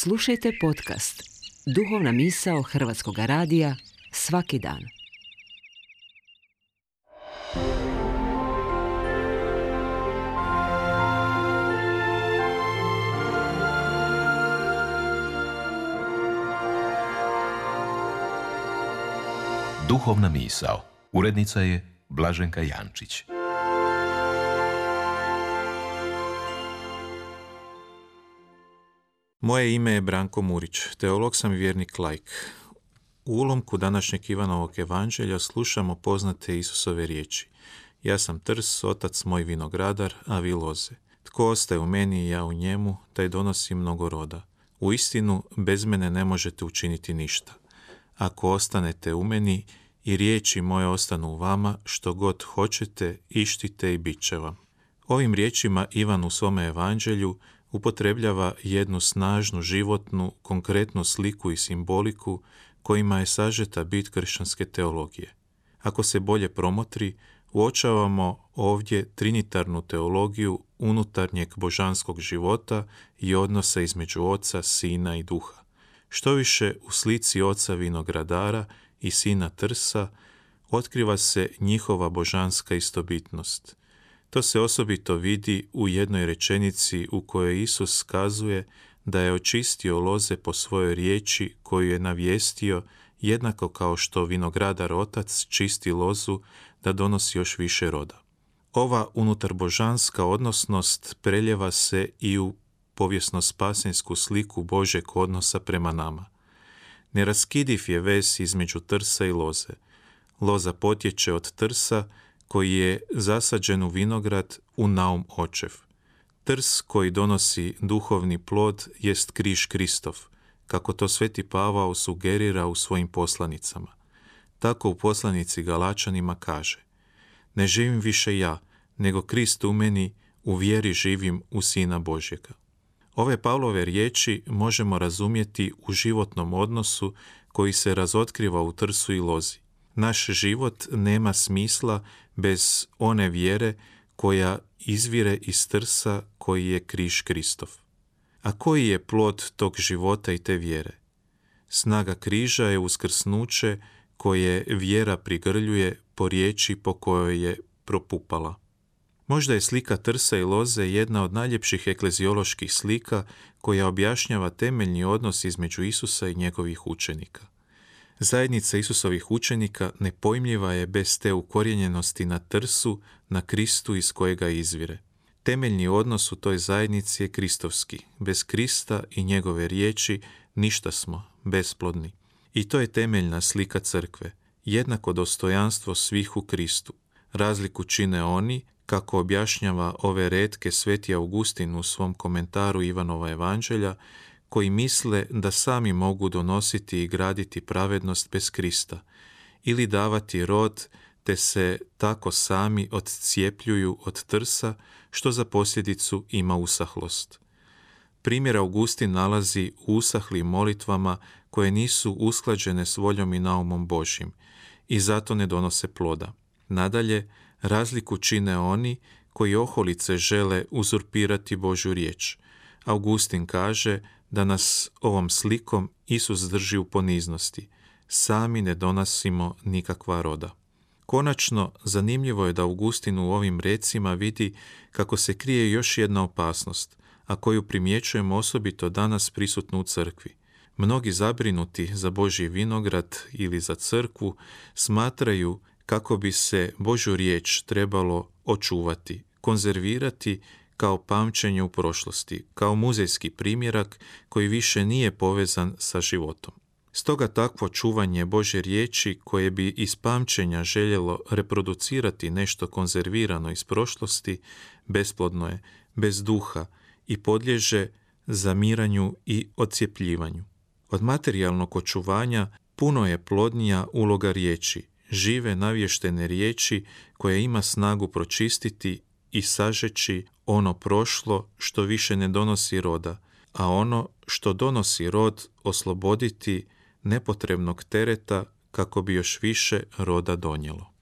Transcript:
Slušajte podcast Duhovna misao Hrvatskog radija svaki dan. Duhovna misao. Urednica je Blaženka Jančić. Moje ime je Branko Murić, teolog sam i vjernik laik. U ulomku današnjeg Ivanovog evanđelja slušamo poznate Isusove riječi. Ja sam trs, otac moj vinogradar, a vi loze. Tko ostaje u meni i ja u njemu, taj donosi mnogo roda. Uistinu, bez mene ne možete učiniti ništa. Ako ostanete u meni i riječi moje ostanu u vama, što god hoćete, ištite i bit će vam. Ovim riječima Ivan u svome evanđelju upotrebljava jednu snažnu, životnu, konkretnu sliku i simboliku kojima je sažeta bit kršćanske teologije. Ako se bolje promotri, uočavamo ovdje trinitarnu teologiju unutarnjeg božanskog života i odnosa između Oca, Sina i Duha. Štoviše, u slici Oca vinogradara i Sina trsa otkriva se njihova božanska istobitnost. To se osobito vidi u jednoj rečenici u kojoj Isus kazuje da je očistio loze po svojoj riječi koju je navijestio, jednako kao što vinogradar otac čisti lozu da donosi još više roda. Ova unutarbožanska odnosnost preljeva se i u povijesno-spasensku sliku Božjeg odnosa prema nama. Neraskidiv je vez između trsa i loze. Loza potječe od trsa koji je zasađen u vinograd u naum očev. Trs koji donosi duhovni plod jest križ Kristov, kako to sveti Pavao sugerira u svojim poslanicama. Tako u poslanici Galačanima kaže: ne živim više ja, nego Krist u meni, u vjeri živim u Sina Božjega. Ove Pavlove riječi možemo razumjeti u životnom odnosu koji se razotkriva u trsu i lozi. Naš život nema smisla bez one vjere koja izvire iz trsa koji je križ Kristov. A koji je plod tog života i te vjere? Snaga križa je uskrsnuće koje vjera prigrljuje po riječi po kojoj je propupala. Možda je slika trsa i loze jedna od najljepših eklezioloških slika koja objašnjava temeljni odnos između Isusa i njegovih učenika. Zajednica Isusovih učenika nepojmljiva je bez te ukorijenjenosti na trsu, na Kristu iz kojega izvire. Temeljni odnos u toj zajednici je kristovski. Bez Krista i njegove riječi ništa smo, besplodni. I to je temeljna slika crkve, jednako dostojanstvo svih u Kristu. Razliku čine oni, kako objašnjava ove retke sveti Augustin u svom komentaru Ivanova evanđelja, koji misle da sami mogu donositi i graditi pravednost bez Krista ili davati rod, te se tako sami odcijepljuju od trsa, što za posljedicu ima usahlost. Primjer Augustin nalazi u usahlim molitvama koje nisu usklađene s voljom i naumom Božjim i zato ne donose ploda. Nadalje, razliku čine oni koji oholice žele uzurpirati Božju riječ. Augustin kaže da nas ovom slikom Isus drži u poniznosti. Sami ne donosimo nikakva roda. Konačno, zanimljivo je da Augustin u ovim recima vidi kako se krije još jedna opasnost, a koju primjećujemo osobito danas prisutnu u crkvi. Mnogi zabrinuti za Božji vinograd ili za crkvu smatraju kako bi se Božju riječ trebalo očuvati, konzervirati kao pamćenje u prošlosti, kao muzejski primjerak koji više nije povezan sa životom. Stoga takvo čuvanje Božje riječi koje bi iz pamćenja željelo reproducirati nešto konzervirano iz prošlosti, besplodno je, bez duha i podliježe zamiranju i odcijepljivanju. Od materijalnog očuvanja puno je plodnija uloga riječi, žive navještene riječi koja ima snagu pročistiti i sažeći ono prošlo što više ne donosi roda, a ono što donosi rod osloboditi nepotrebnog tereta kako bi još više roda donijelo.